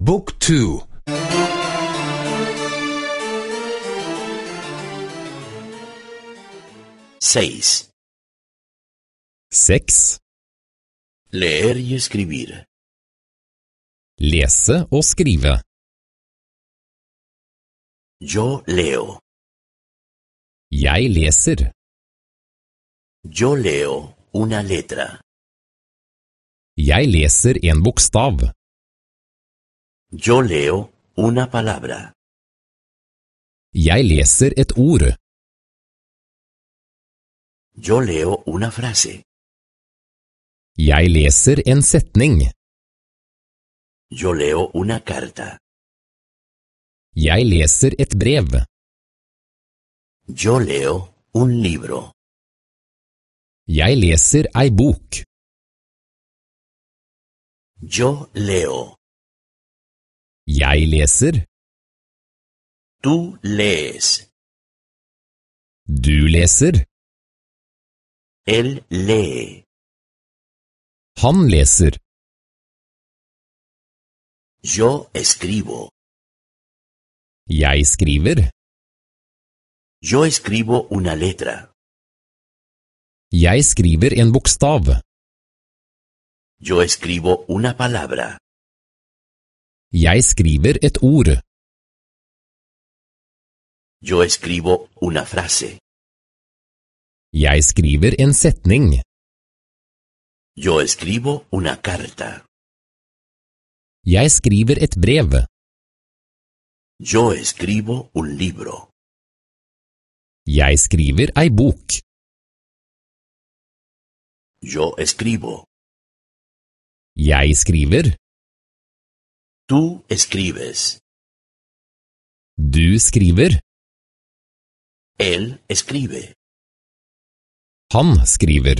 Book 2. 6. 6. Leer y escribir. Lese og skrive. Yo leo. Jeg leser. Yo leo una letra. Jeg leser en bokstav. Yo leo una palabra. Jeg leser et ord. Yo leo una frase. Jeg leser en setning. Yo leo una carta. Jeg leser et brev. Yo leo un libro. Jeg leser ei bok. Yo leo. Jeg leser. Tú lees. Du leser. Él lee. Han leser. Yo escribo. Jeg skriver. Yo escribo una letra. Jeg skriver en bokstav. Yo escribo una palabra. Jeg skriver et ord. Yo escribo una frase. Jeg skriver en setning. Yo escribo una carta. Jeg skriver et brev. Yo escribo un libro. Jeg skriver ei bok. Yo escribo. Jeg skriver. Tú escribes. Du skriver. Él escribe. Han skriver.